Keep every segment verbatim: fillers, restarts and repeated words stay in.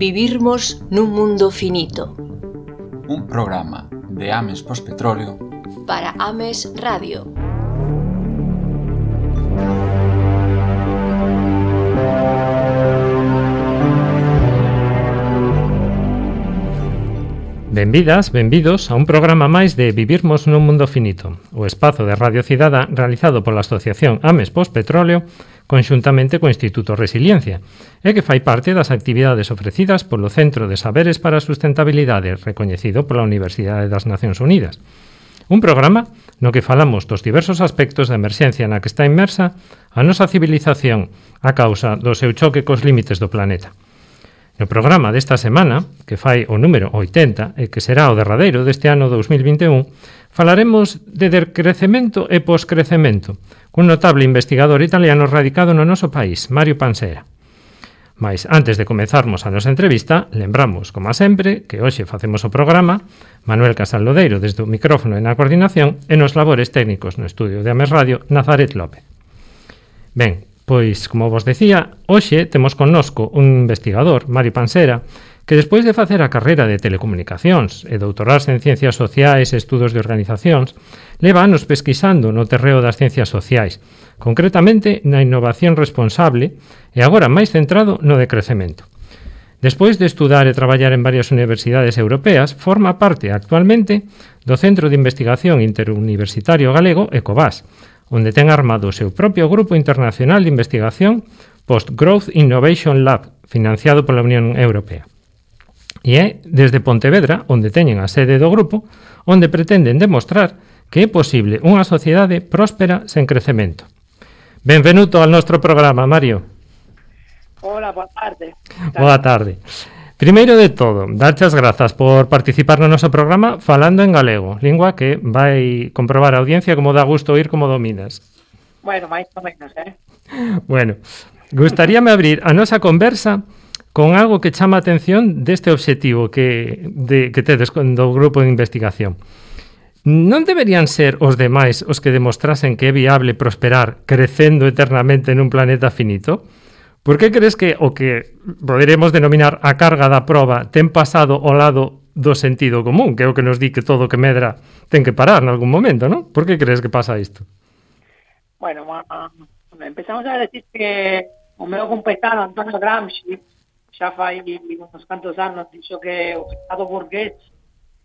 Vivirmos nun mundo finito. Un programa de Ames Pospetróleo para Ames Radio. Benvidas, benvidos a un programa máis de Vivirmos nun mundo finito, o espazo de Radio Cidada realizado pola Asociación Ames Pospetróleo conxuntamente co Instituto Resiliencia e que fai parte das actividades ofrecidas polo Centro de Saberes para a Sustentabilidade recoñecido pola Universidade das Nacións Unidas. Un programa no que falamos dos diversos aspectos da emerxencia na que está inmersa a nosa civilización a causa do seu choque cos límites do planeta. No programa desta semana, que fai o número oitenta e que será o derradeiro deste ano dous mil vinte e un, falaremos de decrecemento e poscrecemento, cun notable investigador italiano radicado no noso país, Mario Pansera. Mais, antes de comezarmos a nosa entrevista, lembramos, como sempre, que hoxe facemos o programa Manuel Casal Lodeiro desde o micrófono e na coordinación e nos labores técnicos no estudio de Ames Radio, Nazaret López. Ben, pois, como vos decía, hoxe temos connosco un investigador, Mario Pansera, que despois de facer a carreira de telecomunicacións e doutorarse en ciencias sociais e estudos de organizacións, leva anos pesquisando no terreo das ciencias sociais, concretamente na innovación responsable e agora máis centrado no decrecemento. Despois de estudar e traballar en varias universidades europeas, forma parte actualmente do Centro de Investigación Interuniversitario Galego, ECOVAS, onde ten armado o seu propio Grupo Internacional de Investigación Post-Growth Innovation Lab, financiado pola Unión Europea. E é desde Pontevedra, onde teñen a sede do grupo, onde pretenden demostrar que é posible unha sociedade próspera sen crecemento. Benvenuto ao noso programa, Mario. Hola, boa tarde. Boa tarde. Primeiro de todo, darche as grazas por participar no noso programa falando en galego, lingua que vai comprobar a audiencia como dá gusto oír como dominas. Bueno, máis ou menos, eh? Bueno, gustaríame abrir a nosa conversa con algo que chama a atención deste obxectivo que, de, que tedes do grupo de investigación. Non deberían ser os demais os que demostrasen que é viable prosperar crecendo eternamente nun planeta finito? Por que crees que o que poderemos denominar a carga da proba ten pasado ao lado do sentido común, que é o que nos di que todo que medra ten que parar en algún momento, non? Por que crees que pasa isto? Bueno, uh, empezamos a decir que o meu compañero Antonio Gramsci xa fai uns cantos anos dixo que o Estado burgués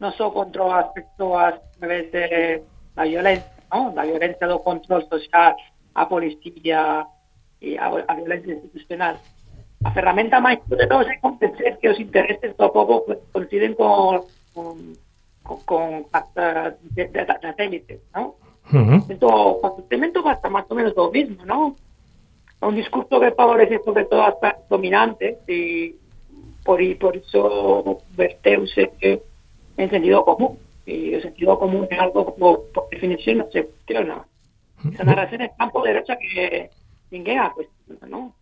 non só controla as persoas a través de la violencia, non? Da violencia do control social, a policía e a, a violencia institucional. A ferramenta máis poderosa é convencer que os intereses do povo coinciden con con, con, con as das élites, non? Uh-huh. Entón, o concepto basta máis ou menos do mismo, non? É un discurso que favorece sobre todo as clases dominantes e por, por iso verteuse en sentido común. E o sentido común é algo como, por definición, non se cuestiona. Esa narración é tan poderosa que ninguén a cuestiona, non?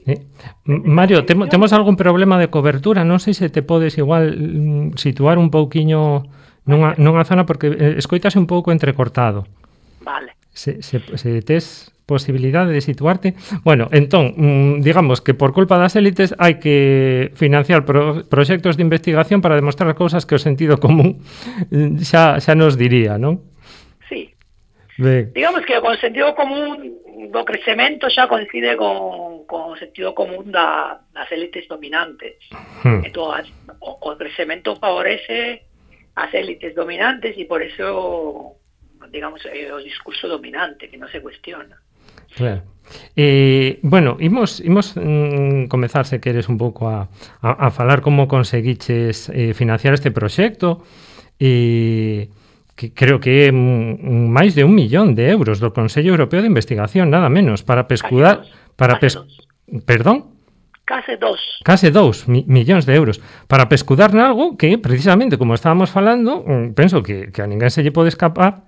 Eh, Mario, temo, temos algún problema de cobertura? Non sei se te podes igual situar un pouquiño nunha, nunha zona porque eh, escoitase un pouco entrecortado. Vale. Se, se, se tes posibilidade de situarte. Bueno, entón, digamos que por culpa das élites hai que financiar pro, proxectos de investigación para demostrar cousas que o sentido común xa, xa nos diría, non? Sí. Ben. Digamos que o sentido común do crecemento xa coincide con, con o sentido común da, das élites dominantes. Hmm. Entón, o, o crecemento favorece as élites dominantes e por eso, digamos, é o discurso dominante que non se cuestiona. Claro. Eh, bueno, imos, imos mm, comezar, se queres, un pouco a, a, a falar como conseguiches eh, financiar este proxecto e que creo que é mm, máis de un millón de euros do Consello Europeo de Investigación, nada menos, para pescudar... para pes... Perdón? Case dos. Case dous mi, millóns de euros para pescudar nalgo que, precisamente, como estábamos falando, penso que, que a ninguén se lle pode escapar,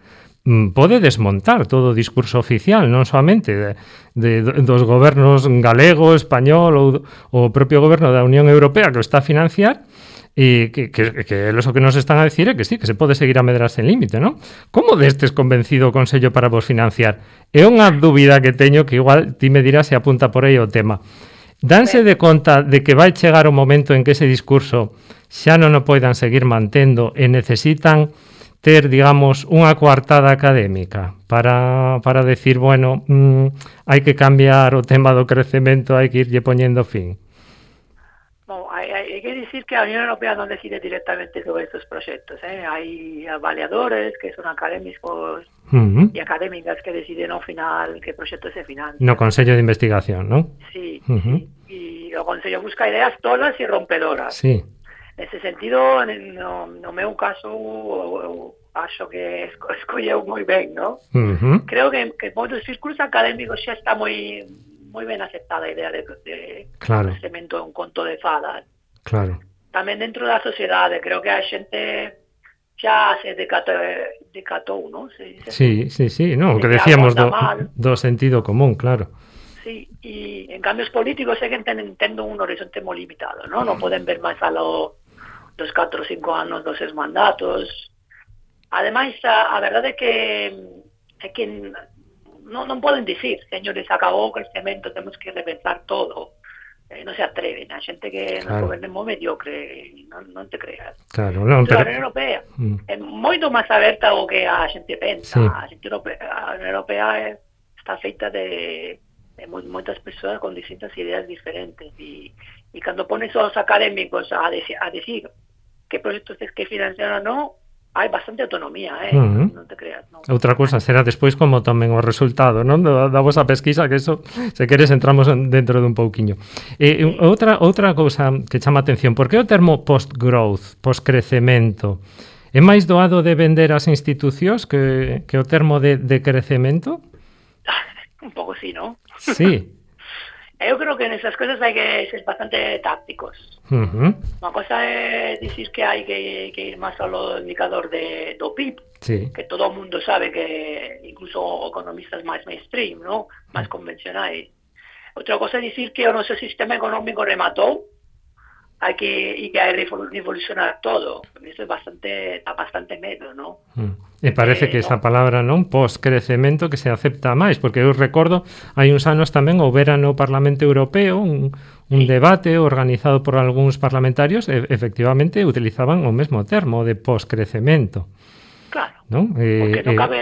pode desmontar todo o discurso oficial, non soamente de, de, dos gobernos galego, español ou o propio goberno da Unión Europea que o está a financiar, e que, que, que eles o que nos están a decir é que sí, que se pode seguir a medrar sen límite, non? Como destes convencido o Consello para vos financiar? É unha dúbida que teño que igual ti me dirás se apunta por aí o tema. danse de conta de que vai chegar o momento en que ese discurso xa non o poidan seguir mantendo e necesitan ter, digamos, unha coartada académica para, para decir, bueno, mmm, hai que cambiar o tema do crecemento, hai que irlle poñendo fin? No, hay, hay, hay que decir que la Unión Europea no decide directamente sobre estos proyectos, ¿eh? Hay avaliadores que son académicos uh-huh. y académicas que deciden al final qué proyecto se financia. No Consello de Investigación, ¿no? Sí, uh-huh. sí. Y el Consello busca ideas tolas y rompedoras. Sí. En ese sentido, no, no me un caso, acho que escolleu moi ben, ¿no? Uh-huh. Creo que, que en moitos círculos académicos xa está moi moi ben aceptada a idea de, de claro. crecemento de un conto de fadas. Claro. Tamén dentro da sociedade, creo que a xente xa se decatou, decatou, ¿no? Se dice sí, sí, sí, no, que decíamos do, do sentido común, claro. Sí, y en cambios políticos é que entendo un horizonte moi limitado, ¿no? Non poden ver máis a lo dos catro ou cinco anos dos seus mandatos. Ademais, a, a verdade é que é que non, non poden dicir, señores, acabou o crecemento, temos que repensar todo. Eh, non se atreven, a xente que claro. nos goberna moi mediocre, non, non te creas. Claro, non, pero... pero... A Unión Europea mm. é moito máis aberta ao que a xente pensa. Sí. A xente europea, a Unión Europea é, está feita de, de moitas persoas con distintas ideas diferentes e, e cando pones aos académicos a, de, a decir que proxectos es que financian ou non, hai bastante autonomía, eh? Uh-huh. Non te creas, non. Outra cousa será despois como tomen o resultado, non? Da, da vosa pesquisa, que eso, se queres, entramos dentro dun pouquiño. Eh, sí. outra, outra cousa que chama atención, por que o termo post-growth, post-crecemento, é máis doado de vender as institucións que, que o termo de, de crecemento? Un pouco sí, non? Sí. Eu creo que nesas cousas hai que ser bastante tácticos. Uh-huh. Unha cosa é dicir que hai que, que ir máis ao indicador de, do P I B, sí. que todo o mundo sabe que incluso economistas máis mainstream, ¿no? máis convencionais. Outra cosa é dicir que o noso sistema económico rematou, hai que e que hai que revolucionar todo. Isto é bastante, dá bastante medo, ¿no? Mm. E parece eh, que esa no. palabra, non, post-crecemento, que se acepta máis, porque eu recordo, hai uns anos tamén houbera no Parlamento Europeo un, un sí. debate organizado por algúns parlamentarios, e efectivamente utilizaban o mesmo termo de post-crecemento. Claro, ¿no? Eh, porque non eh, cabe,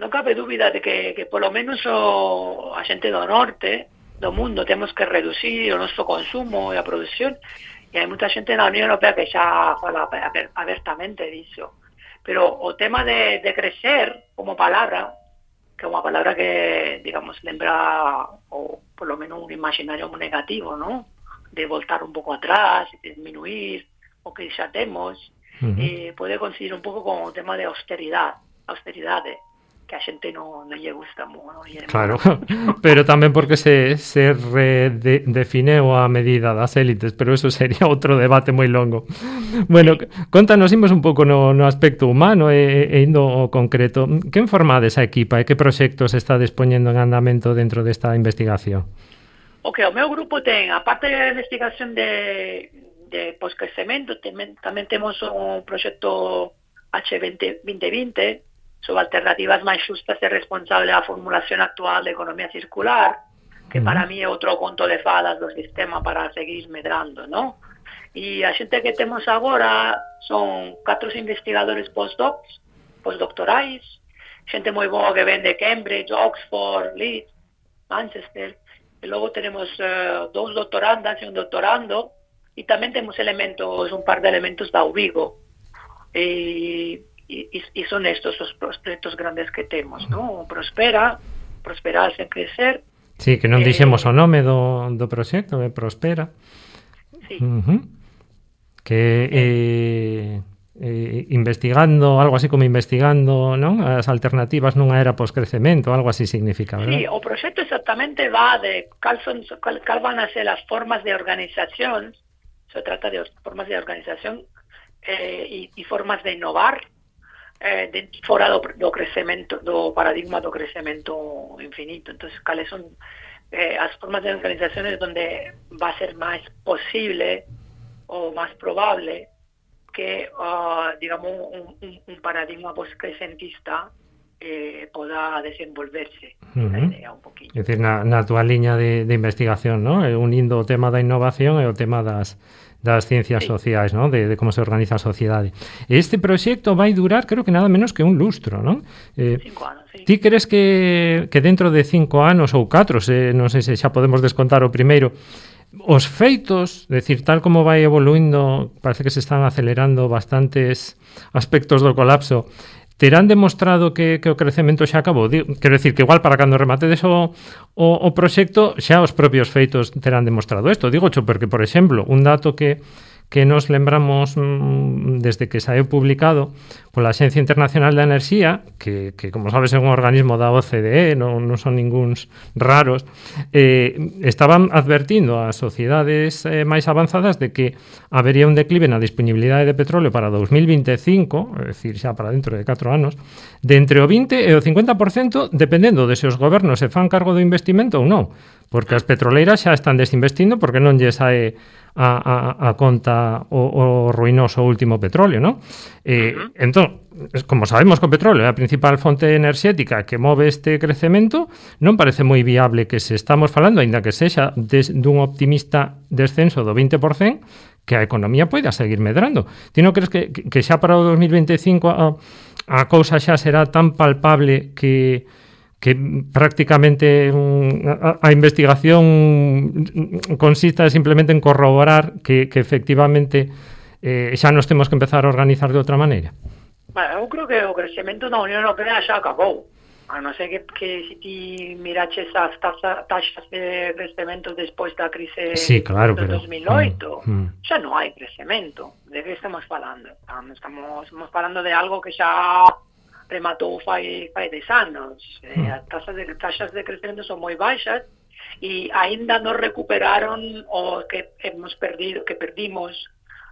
non cabe dúbida de que, que polo menos o, a xente do norte do mundo temos que reducir o noso consumo e a produción, e hai moita xente na Unión Europea que xa fala abertamente disso. Pero o tema de, de crecer como palabra, que é unha palabra que, digamos, lembra o por lo menos un imaginario moi negativo, ¿no? De voltar un pouco atrás, de disminuir o que xa temos, uh-huh. eh, pode coincidir un pouco con o tema de austeridade, austeridade, que a xente non, non lle gusta moi. Non lle claro, pero tamén porque se, se redefineu a medida das élites, pero eso sería outro debate moi longo. Bueno, sí. Contanos, imos un pouco no, no aspecto humano e, e indo ao concreto. Que formades a equipa e que proxectos está dispoñendo en andamento dentro desta investigación? O que o meu grupo ten, a parte da investigación de, de poscrecemento, tamén, tamén temos un proxecto H veinte vinte sobre alternativas máis xustas e responsables da formulación actual de economía circular, que para mí é outro conto de fadas do sistema para seguir medrando, ¿no? E a xente que temos agora son catro investigadores postdocs, postdoctorais, xente moi boa que ven de Cambridge, Oxford, Leeds, Manchester, e logo tenemos uh, dous doctorandas e un doctorando, e tamén temos elementos, un par de elementos da U Vigo, e Y, y son estos los proyectos grandes que temos, ¿no? Prospera, prosperar sen crecer. Sí, que non dixemos eh, o nome do, do proxecto, é Prospera. Sí. Uh-huh. Que eh, eh, investigando, algo así como investigando, non? As alternativas nunha era poscrecemento, algo así significa, ¿verdad? Sí, o proxecto exactamente va de cal, son, cal, cal van a ser as formas de organización, se trata de formas de organización eh, e formas de innovar, Eh, de, fora do, do crecemento, do paradigma do crecemento infinito. Entonces, cales son eh, as formas de organizaciones donde va a ser máis posible ou máis probable que, uh, digamos, un, un, un paradigma poscrecentista eh, poda desenvolverse Uh-huh. a idea un poquinho. É dicir, na, na túa liña de, de investigación, ¿no? Unindo o tema da innovación e o tema das, das ciencias Sí. sociais, ¿no? De, de como se organiza a sociedade. Este proxecto vai durar, creo que nada menos que un lustro, ¿no? Eh, Cinco anos, sí. Ti crees que, que dentro de cinco anos ou catro, se, non sei se xa podemos descontar o primeiro, os feitos, decir, tal como vai evoluindo, parece que se están acelerando bastantes aspectos do colapso, terán demostrado que, que o crecemento xa acabou? Digo, quero decir que igual para cando rematedes o, o, o proxecto xa os propios feitos terán demostrado isto. Digo xo porque, por exemplo, un dato que que nos lembramos mmm, desde que saeu publicado pola Axencia Internacional da Enerxía, que, que como sabes é un organismo da O C D E, non, non son ninguns raros, eh, estaban advertindo ás sociedades eh, máis avanzadas de que habería un declive na disponibilidade de petróleo para dos mil vinte e cinco, é dicir, xa para dentro de catro anos, de entre o vinte e o cincuenta por cento, dependendo de se os gobernos se fan cargo do investimento ou non, porque as petroleiras xa están desinvestindo porque non lle sae a, a, a conta o, o ruinoso último petróleo, ¿no? Eh, uh-huh. Entón, como sabemos que o petróleo é a principal fonte enerxética que move este crecemento, non parece moi viable que se estamos falando, aínda que sexa des, dun optimista descenso do vinte por cento, que a economía poida seguir medrando. Ti non crees que, que xa para o dos mil vinte e cinco a, a cousa xa será tan palpable que que prácticamente a, a investigación consista simplemente en corroborar que, que efectivamente eh, xa nos temos que empezar a organizar de outra maneira? Bueno, eu creo que o crecemento da Unión Europea xa acabou. A non ser que, que si ti miraches as taxas, taxas de crecemento despois da crise sí, claro, do pero, dos mil oito, mm, mm. xa non hai crecemento. De que estamos falando? Estamos, estamos falando de algo que xa rematou fai, fai dez anos. Eh, as taxas de, taxas de crecemento son moi baixas e aínda non recuperaron o que hemos perdido, que perdimos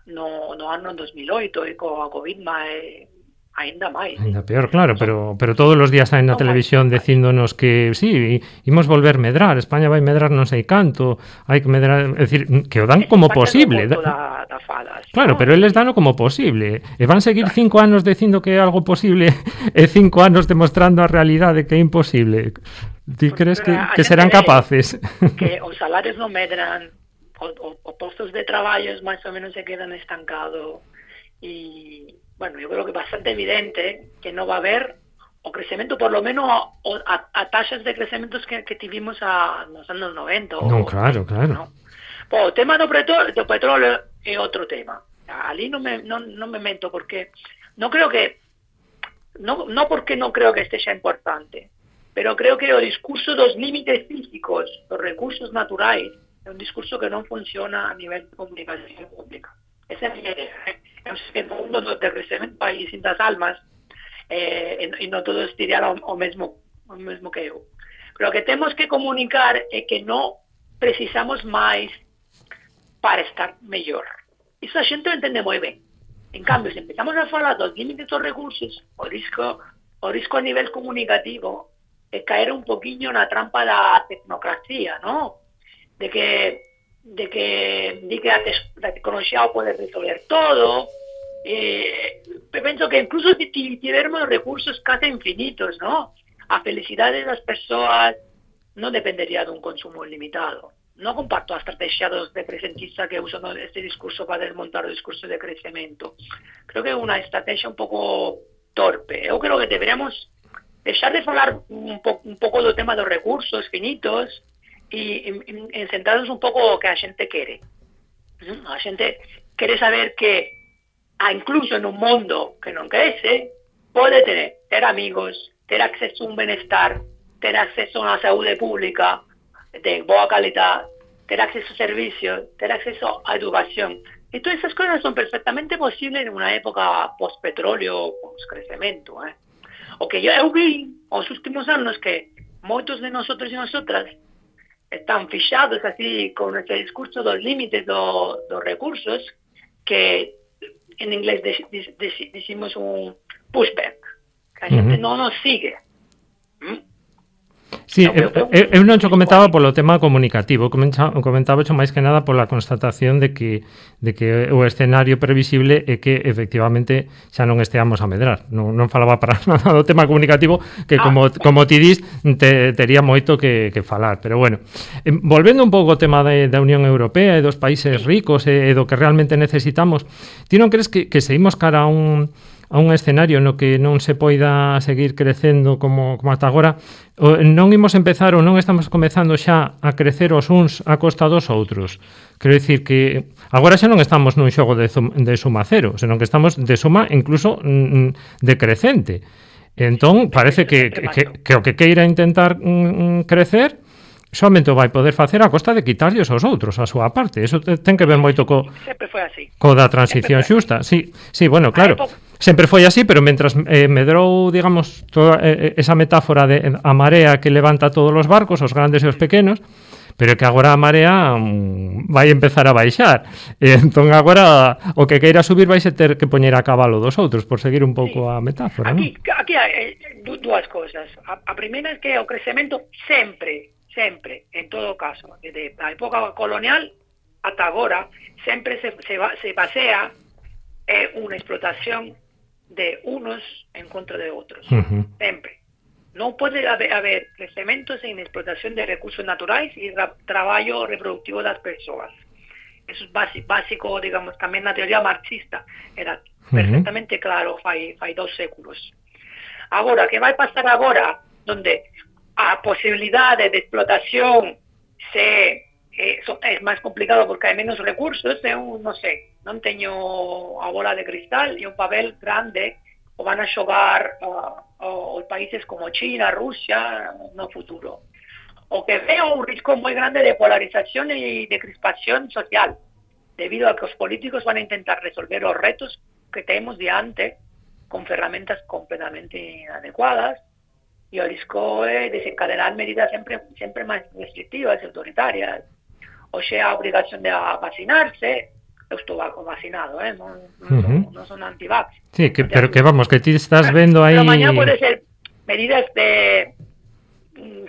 no, no ano dos mil oito e coa COVID máis, aínda máis. Ainda peor, claro, pero pero todos os días saen na televisión dicíndonos que sí, imos volver medrar, España vai medrar non sei canto, hai que medrar, é dicir, que o dan como posible. Da, da falas, claro, ¿no? pero eles dano como posible. E van seguir cinco anos dicindo que é algo posible e cinco anos demostrando a realidade que é imposible. Ti crees que, que serán capaces? Que os salarios non medran, os postos de traballo máis ou menos se quedan estancados e bueno, yo creo que es bastante evidente que no va a haber o crecimiento, por lo menos a, a taxas de crecimientos que, que tuvimos a los años noventa. No, o, claro, claro. ¿no? Pues, o tema do petróleo, do petróleo é outro tema. Ali non me, non, non me mento, porque non creo que, non, non porque non creo que este xa importante, pero creo que o discurso dos límites físicos, dos recursos naturais, é un discurso que non funciona a nivel de comunicación pública. Esa é a miña idea. En o mundo do crecemento hai distintas almas eh, e non todos dirían o, o, mesmo, o mesmo que eu. Pero o que temos que comunicar é que non precisamos máis para estar mellor. Iso a xente o entende moi ben. En cambio, se empezamos a falar dos límites dos recursos, o risco, o risco a nivel comunicativo é caer un poquinho na trampa da tecnocracia, ¿no? De que de que, de que a, a tecnoloxía o pode resolver todo. Eh, penso que incluso se tivermos recursos case infinitos, ¿no? A felicidade das persoas non dependería dun consumo limitado. Non comparto a estrategia dos de presentista que usan este discurso para desmontar o discurso de crecemento. Creo que é unha estrategia un pouco torpe. Eu creo que deberíamos deixar de falar un, po, un pouco do tema dos recursos finitos e en, en centrarnos un pouco o que a xente quere. A xente quere saber que a incluso en un mundo que non crece pode ter, ter amigos, ter acceso a un benestar, ter acceso a unha saúde pública de boa calidad, ter acceso a servicios, ter acceso a educación. E todas esas cosas son perfectamente posibles en unha época post-petróleo, post-crecemento. Eh? O que eu vi os últimos anos que moitos de nosotros e nosotras están fixados así con ese discurso dos límites do, dos recursos que en inglés decimos un pushback, que a xente uh-huh. non nos sigue. ¿Mm? Sí, eu, eu, eu non xo comentaba polo tema comunicativo, comentaba xo máis que nada pola constatación de que de que o escenario previsible é que efectivamente xa non esteamos a medrar. Non, non falaba para nada do tema comunicativo, que como, como ti dis, te, tería moito que, que falar. Pero bueno, eh, volvendo un pouco ao tema de, da Unión Europea e dos países ricos e, e do que realmente necesitamos, ti non crees que, que seguimos cara a un a un escenario no que non se poida seguir crecendo como, como ata agora, non imos empezar ou non estamos comezando xa a crecer os uns a costa dos outros. Quero dicir que agora xa non estamos nun xogo de, de suma cero, senón que estamos de suma incluso mm, decrecente. Entón, parece que, que, que o que queira intentar mm, crecer somente o vai poder facer a costa de quitarlles aos outros a súa parte. Eso ten que ver moito co, co da transición xusta. Sí, sí, bueno, claro, sempre foi así, pero mentras eh, medrou, digamos, toda eh, esa metáfora de a marea que levanta todos os barcos, os grandes e os pequenos, pero que agora a marea um, vai empezar a baixar. E entón agora o que queira subir vai se ter que poñer a cabalo dos outros, por seguir un pouco sí. a metáfora. Aquí, ¿no? aquí hai dúas cousas. A, a primeira é que o crecemento sempre sempre, en todo caso, desde a época colonial ata agora, sempre se, se, se basea en unha explotación de unos en contra de outros. Uh-huh. Sempre. Non pode haber, haber crecemento sen explotación de recursos naturais e tra traballo reproductivo das persoas. Eso é básico, básico, digamos, tamén na teoría marxista. Era perfectamente uh-huh. claro fai, fai dos séculos. Agora, que vai pasar agora, donde a posibilidade de explotación se eh, so, é máis complicado porque hai menos recursos, eu non sei, non teño a bola de cristal e un papel grande o van a xogar uh, os países como China, Rusia no futuro. O que veo un risco moi grande de polarización e de crispación social, debido a que os políticos van a intentar resolver os retos que temos diante con ferramentas completamente inadecuadas. E o risco é desencadenar medidas sempre, sempre máis restrictivas e autoritarias. O sea, a obrigación de vacinarse, eu estou vacinado, eh? non, non, uh-huh. non son antivax. Sí, que, pero que vamos, que ti estás vendo aí... Pero mañá pode ser medidas de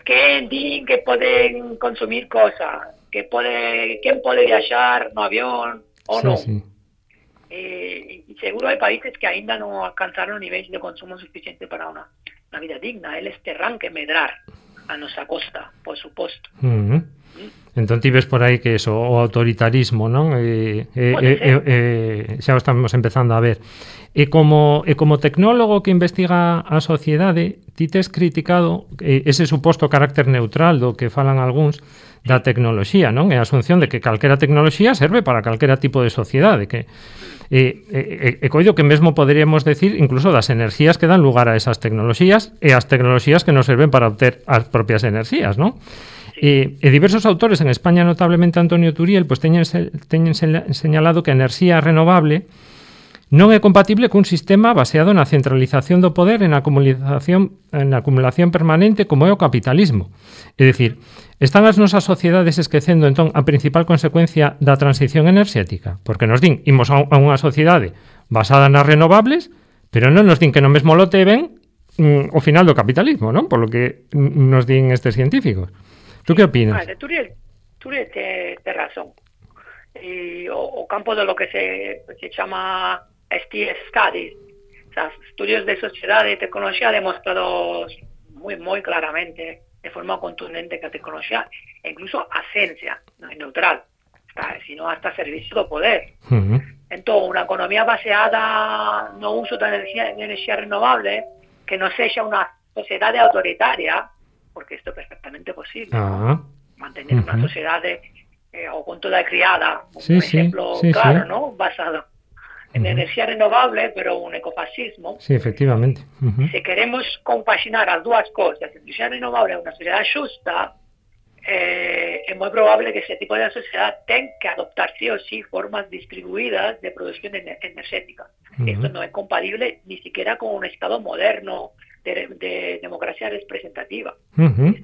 que din que poden consumir cosas, que pode, quen pode viaxar no avión ou sí, non. Sí. Eh, e seguro hai países que aínda non alcanzaron niveis de consumo suficiente para unha una vida digna, eles terán que medrar a nosa costa, por suposto. Uh-huh. Mm. Entón ti ves por aí que eso, o autoritarismo, non? E, e, e, e, xa o estamos empezando a ver. E como, e como tecnólogo que investiga a sociedade, ti tes criticado ese suposto carácter neutral do que falan algúns da tecnoloxía, non? E a asunción de que calquera tecnoloxía serve para calquera tipo de sociedade, que E, e, e coido que mesmo poderíamos decir incluso das enerxías que dan lugar a esas tecnoloxías e as tecnoloxías que nos serven para obter as propias enerxías, non? E, e diversos autores en España, notablemente Antonio Turiel, pues teñen, teñen señalado que a enerxía renovable non é compatible cun sistema baseado na centralización do poder en acumulación, en acumulación permanente como é o capitalismo. É dicir, están as nosas sociedades esquecendo entón a principal consecuencia da transición enerxética, porque nos din, imos a unha sociedade basada nas renovables, pero non nos din que no mesmo lote ven mm, o final do capitalismo, non? Por lo que nos din estes científicos. Tú que opinas? Vale, Turiel, Turiel te, te razón. E o, o campo de lo que se, se chama S T S Studies, o sea, estudios de sociedade e tecnoloxía demostrados moi, moi claramente, de forma contundente, que a tecnoloxía e incluso a ciencia non é neutral, está, sino hasta servicio do poder. Uh-huh. Entón, unha economía baseada no uso da enerxía, de enerxía renovable, que non sexa unha sociedade autoritaria, porque isto é perfectamente posible, uh-huh. ¿no? Mantener uh-huh. unha sociedade eh, ao conto da criada, un sí, exemplo sí, sí, claro, sí. ¿no? Basado en uh-huh. enerxía renovable, pero un ecofascismo. Sí, efectivamente. Uh-huh. Se queremos compaxinar as dúas cosas, enerxía renovable e unha sociedade xusta, eh, é moi probable que ese tipo de sociedade ten que adoptar sí ou sí formas distribuídas de produción enerxética. Uh-huh. Esto non é compatible ni siquiera con un estado moderno de, de democracia representativa. Uh-huh.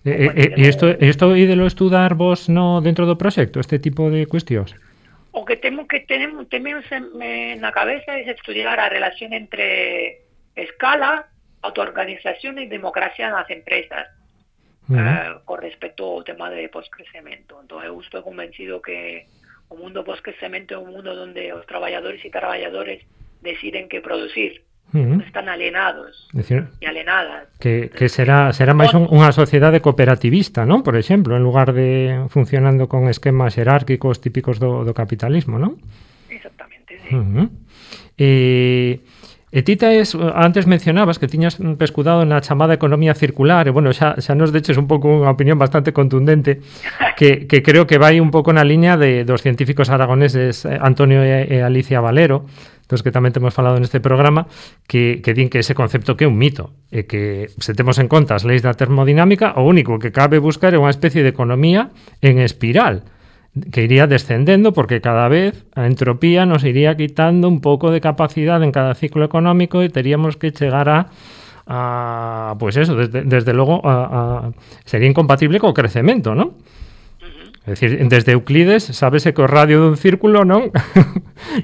E eh, eh, isto, isto ídelo estudar vos no dentro do proxecto, este tipo de cuestións? O que temos que tenemos, tenemos en la cabeza es estudiar la relación entre escala, autoorganización y democracia en las empresas. Uh-huh. eh, con respecto ao tema de poscrecemento. Entón, eu estou convencido que o mundo poscrecemento é un mundo onde os traballadores e traballadores deciden que producir. Uh-huh. Están alienados decir, e alienadas. Que, que será será máis un, unha sociedade cooperativista, non? Por exemplo, en lugar de funcionando con esquemas xerárquicos típicos do, do capitalismo, non? Exactamente, sí. Uh-huh. E... E ti tes, antes mencionabas que tiñas pescudado na chamada economía circular, e bueno, xa, xa nos deches un pouco unha opinión bastante contundente, que, que creo que vai un pouco na liña de dos científicos aragoneses Antonio e, e Alicia Valero, dos que tamén temos falado neste programa, que, que din que ese concepto que é un mito, e que se temos en conta as leis da termodinámica, o único que cabe buscar é unha especie de economía en espiral, que iría descendendo porque cada vez a entropía nos iría quitando un pouco de capacidade en cada ciclo económico e teríamos que chegar a, a pues eso, desde, desde logo a, a, sería incompatible co crecemento, ¿no? É dicir, desde Euclides sábese que o radio dun círculo non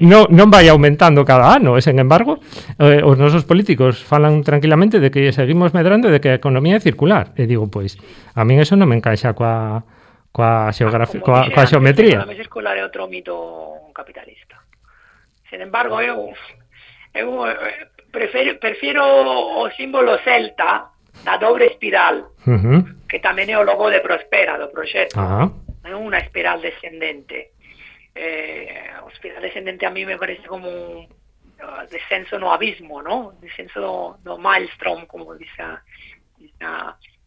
non, non vai aumentando cada ano, e sen embargo eh, os nosos políticos falan tranquilamente de que seguimos medrando e de que a economía é circular, e digo, pois, a min eso non me encaixa coa coa xeografía, coa, coa xeometría. A economía circular é outro mito capitalista. Sin embargo, eu, eu prefiro, prefiro o símbolo celta da dobre espiral, uh-huh. que tamén é o logo de Prospera, do proxecto. Uh-huh. É unha espiral descendente. Eh, o espiral descendente a mí me parece como un uh, descenso no abismo, ¿no? Descenso do, do maelstrom, como dice, dice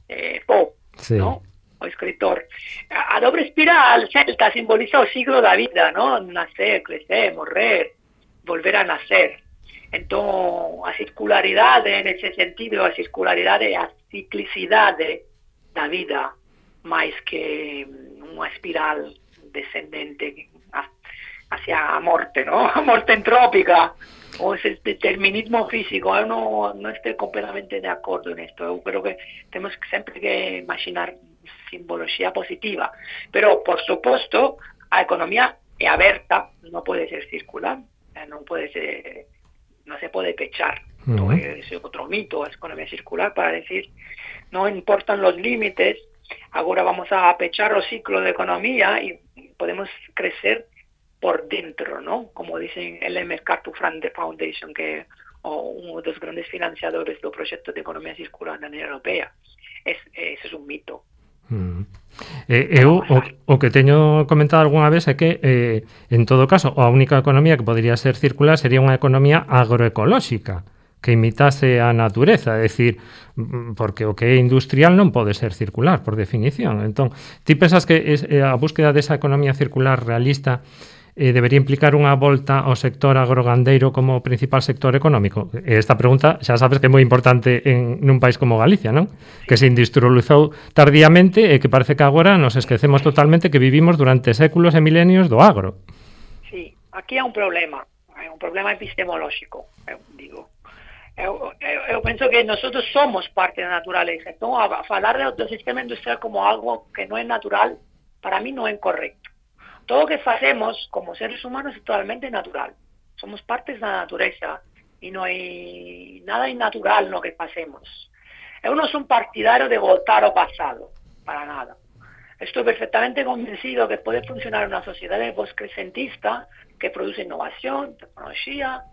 eh, Poe, sí. ¿no? O escritor. A, a dobre espiral celta simboliza o ciclo da vida, ¿no? Nacer, crecer, morrer, volver a nacer. Entón, a circularidade, nese sentido, a circularidade, a ciclicidade da vida, máis que unha espiral descendente hacia a morte, ¿no? A morte entrópica, o ese determinismo físico. Eu non, non estou completamente de acordo nisto. Eu creo que temos sempre que imaginar simboloxía positiva, pero por suposto a economía é aberta, non pode ser circular, non pode ser, non se pode pechar. Uh-huh. Ese é outro mito, a economía circular, para decir non importan los límites, agora vamos a pechar o ciclo de economía e podemos crecer por dentro, ¿no? Como dicen el MacArthur Foundation, que é un dos grandes financiadores do proxecto de economía circular na Unión Europea. Es, ese é un mito. Mm. Eh, eu o, o que teño comentado algunha vez é que eh, en todo caso a única economía que podría ser circular sería unha economía agroecolóxica que imitase a natureza, é dicir, porque o que é industrial non pode ser circular por definición. Entón, ti pensas que es, eh, a búsqueda desa economía circular realista eh, debería implicar unha volta ao sector agrogandeiro como principal sector económico? Esta pregunta xa sabes que é moi importante en nun país como Galicia, non? Que se industrializou tardíamente e que parece que agora nos esquecemos totalmente que vivimos durante séculos e milenios do agro. Sí, aquí há un problema, hai un problema epistemolóxico, eu digo. Eu, eu, eu penso que nosotros somos parte da naturaleza, entón a falar do sistema industrial como algo que non é natural, para mí non é correcto. Todo o que facemos como seres humanos é totalmente natural. Somos partes da natureza e non hai nada innatural no que facemos. Eu non son partidario de voltar ao pasado, para nada. Estou perfectamente convencido que pode funcionar unha sociedade poscrecentista que produce innovación, tecnoloxía,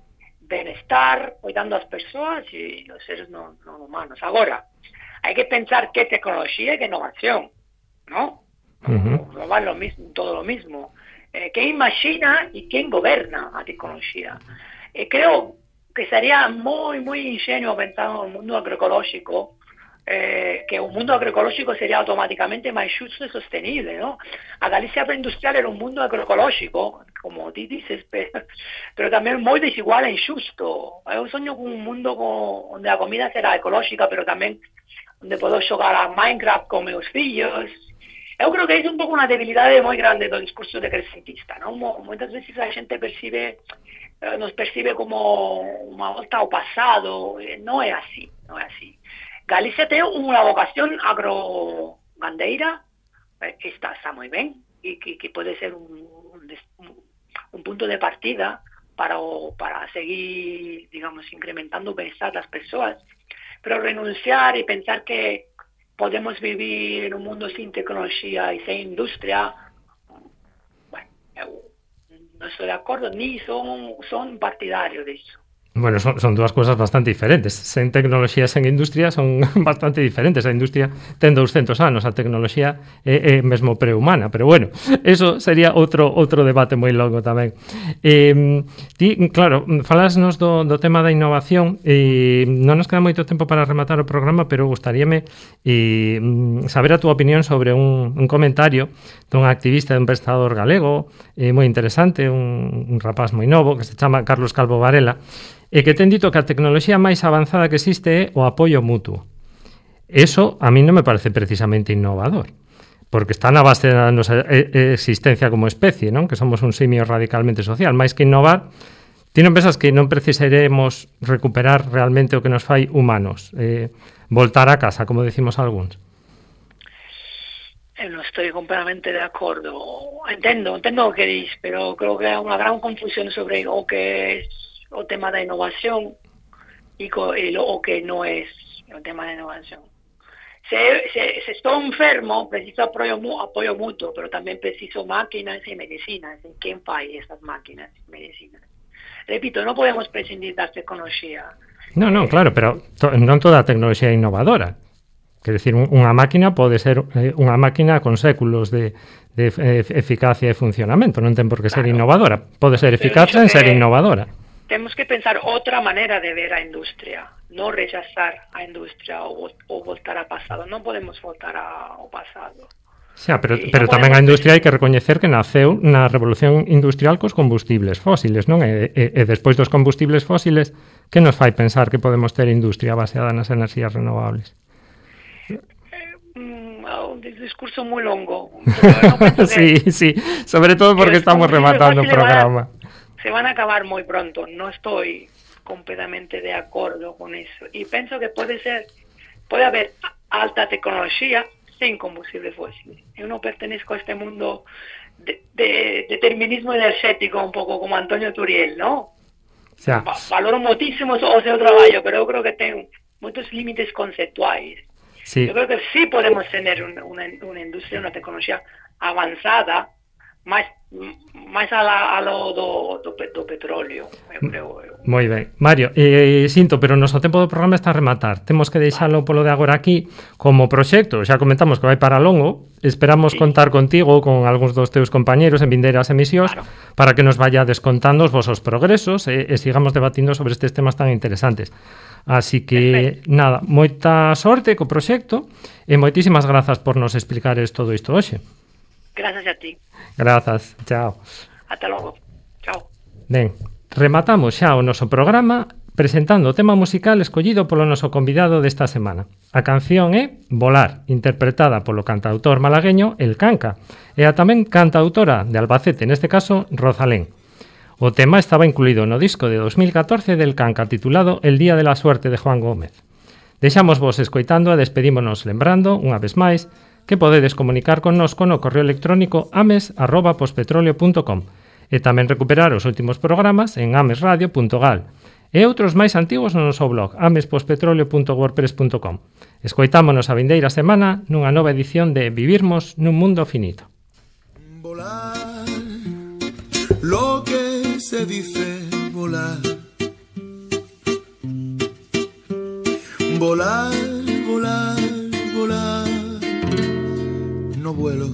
benestar, cuidando as persoas e os seres non, non humanos. Agora, hai que pensar que tecnoloxía e que innovación, ¿no? Uh-huh. No va lo mismo, todo lo mismo. Eh, ¿Quién imagina y quién goberna a tecnología? Eh, creo que sería muy, muy ingenuo pensar en un mundo agroecológico, eh, que un mundo agroecológico sería automáticamente máis xusto e sostenible, ¿no? A Galicia preindustrial era un mundo agroecológico, como ti dices, pero, pero tamén moi desigual e injusto. Eu soño con un mundo con, onde a comida será ecolóxica, pero tamén onde podo xogar a Minecraft con meus fillos. Eu creo que é un pouco unha debilidade moi grande do discurso decrecentista, non? Moitas veces a xente percibe, eh, nos percibe como unha volta ao pasado, eh, non é así, non é así. Galicia ten unha vocación agrogandeira, eh, que está, está moi ben, e que, que pode ser un, un, un punto de partida para, o, para seguir, digamos, incrementando o bienestar das persoas, pero renunciar e pensar que podemos vivir en un mundo sin tecnología y sin industria, bueno, no estoy de acuerdo, ni son, son partidarios de eso. Bueno, son, son dúas cousas bastante diferentes. Sen tecnoloxía, sen industria son bastante diferentes. A industria ten douscentos anos, a tecnoloxía é, é mesmo prehumana, pero bueno, eso sería outro outro debate moi longo tamén. Eh, ti, claro, falasnos do, do tema da innovación, e non nos queda moito tempo para rematar o programa, pero gustaríame eh, saber a túa opinión sobre un, un comentario dun activista e un pensador galego eh, moi interesante, un, un rapaz moi novo que se chama Carlos Calvo Varela, e que ten dito que a tecnoloxía máis avanzada que existe é o apoio mutuo. Eso a mí non me parece precisamente innovador, porque está na base da nosa existencia como especie, non? Que somos un simio radicalmente social. Máis que innovar, ti non pensas que non precisaremos recuperar realmente o que nos fai humanos, eh, voltar a casa, como decimos algúns? Eu non estou completamente de acordo. Entendo, entendo o que dis, pero creo que hai unha gran confusión sobre o que é o tema da innovación y, co, y lo, o que no es el tema de innovación. Si, si, si estoy enfermo, preciso apoyo, apoyo mutuo, pero también preciso máquinas y medicinas. ¿En quién paga esas máquinas y medicinas? Repito, no podemos prescindir de la tecnología. No, no, claro, pero to, non toda a tecnoloxía é innovadora. Quer decir, unha máquina pode ser eh, unha máquina con séculos de, de eh, eficacia e funcionamento, non ten por que ser claro. Innovadora. Pode ser eficaz en ser innovadora. Tenemos que pensar otra manera de ver a industria, no rechazar a industria o, o voltar ao pasado. Non podemos voltar ao pasado. Xa, pero, pero no tamén a industria hai que recoñecer que naceu na revolución industrial cos combustibles fósiles, non? E, e, e despois dos combustibles fósiles, que nos fai pensar que podemos ter industria baseada nas enerxías renovables? Un discurso moi longo. No sí, sí, sobre todo porque estamos rematando o programa. Se van a acabar muy pronto, no estoy completamente de acuerdo con eso. Y pienso que puede ser, puede haber alta tecnología sin combustible fósil. Yo no pertenezco a este mundo de, de determinismo energético, un poco como Antonio Turiel, ¿no? Ya. Valoro muchísimo o seu trabajo, pero yo creo que tengo muchos límites conceptuales. Sí. Yo creo que sí podemos tener una, una, una industria, una tecnología avanzada, máis máis a, la, a lo do, do, do petróleo, eu creo. Moi ben. Mario, eh, sinto, pero o noso tempo do programa está a rematar. Temos que deixalo polo de agora aquí como proxecto. Xa comentamos que vai para longo. Esperamos sí. contar contigo con algúns dos teus compañeros en vindeiras emisións claro. para que nos vaya descontando os vosos progresos e, e sigamos debatindo sobre estes temas tan interesantes. Así que, Perfecto. nada, moita sorte co proxecto e moitísimas grazas por nos explicares todo isto hoxe. Gracias a ti. Grazas, chao. Ata logo, chao. Ben, rematamos xa o noso programa presentando o tema musical escollido polo noso convidado desta semana. A canción é Volar, interpretada polo cantautor malagueño El Canca, e a tamén cantautora de Albacete, neste caso Rosalén. O tema estaba incluído no disco de dos mil catorce del Canca titulado El Día de la Suerte de Juan Gómez. Deixamos vos escoitando e despedímonos lembrando, unha vez máis, que podedes comunicar connosco no correo electrónico ames arroba pospetroleo punto com e tamén recuperar os últimos programas en amesradio punto gal e outros máis antigos no noso blog ames pospetroleo punto wordpress punto com. Escoitámonos a vindeira semana nunha nova edición de Vivirmos nun Mundo Finito. Volar, lo que se dice volar. Volar, volar, volar. No vuelo.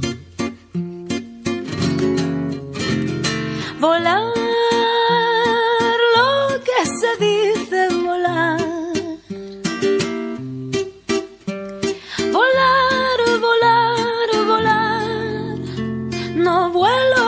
Volar, lo que se dice volar. Volar, volar, volar. No vuelo.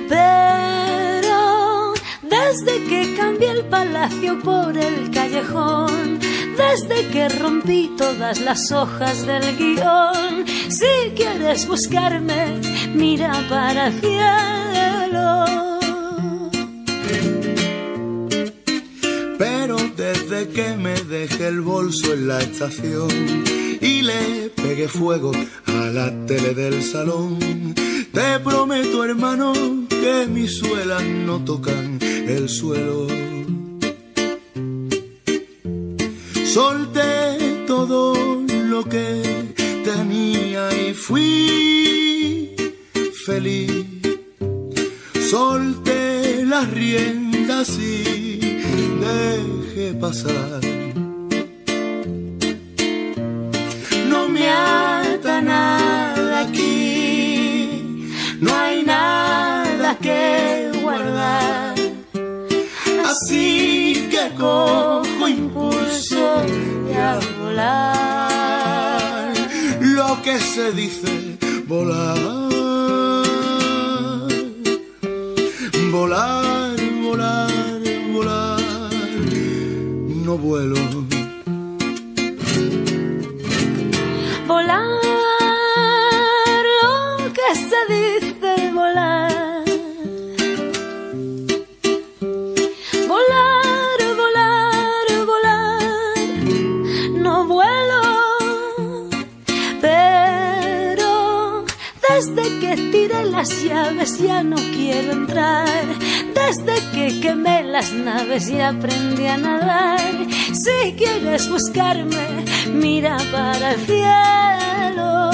Pero desde que cambié el palacio por el callejón, desde que rompí todas las hojas del guión, si quieres buscarme, mira para el cielo. Pero desde que me dejé el bolso en la estación y le pegué fuego a la tele del salón, te prometo, hermano, que mis suelas no tocan el suelo. Solté todo lo lo que tenía y fui feliz. Solté las riendas y dejé pasar. No me ata nada aquí, no hay nada que guardar. Así que cojo impulso y a volar. Lo que se dice volar. Volar, volar, volar. No vuelo. Volar, lo que se dice volar. Volar, volar, volar. No vuelo, pero desde que tiré las llaves ya no quiero entrar. Desde que quemé las naves y aprendí a nadar. Si quieres buscarme, mira para el cielo.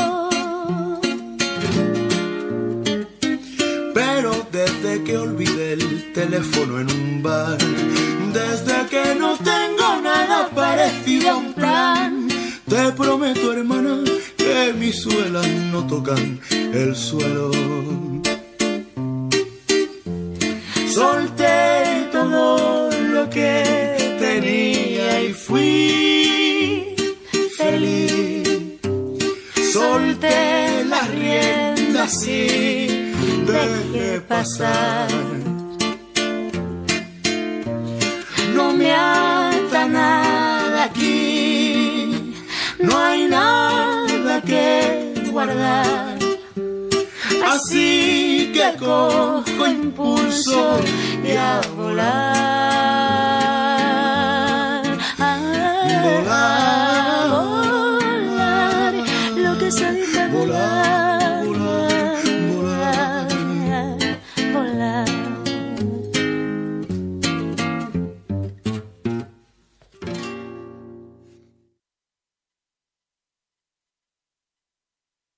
Pero desde que olvidé el teléfono en un bar, desde que no tengo nada parecido a un plan, te prometo, hermana, que mis suelas no tocan el suelo. Solté todo lo que tenía y fui feliz. Solté las riendas y dejé pasar. No me ata nada aquí, no hay nada que guardar. Así que cojo impulso y a volar. Volar, volar, lo que se dice volar.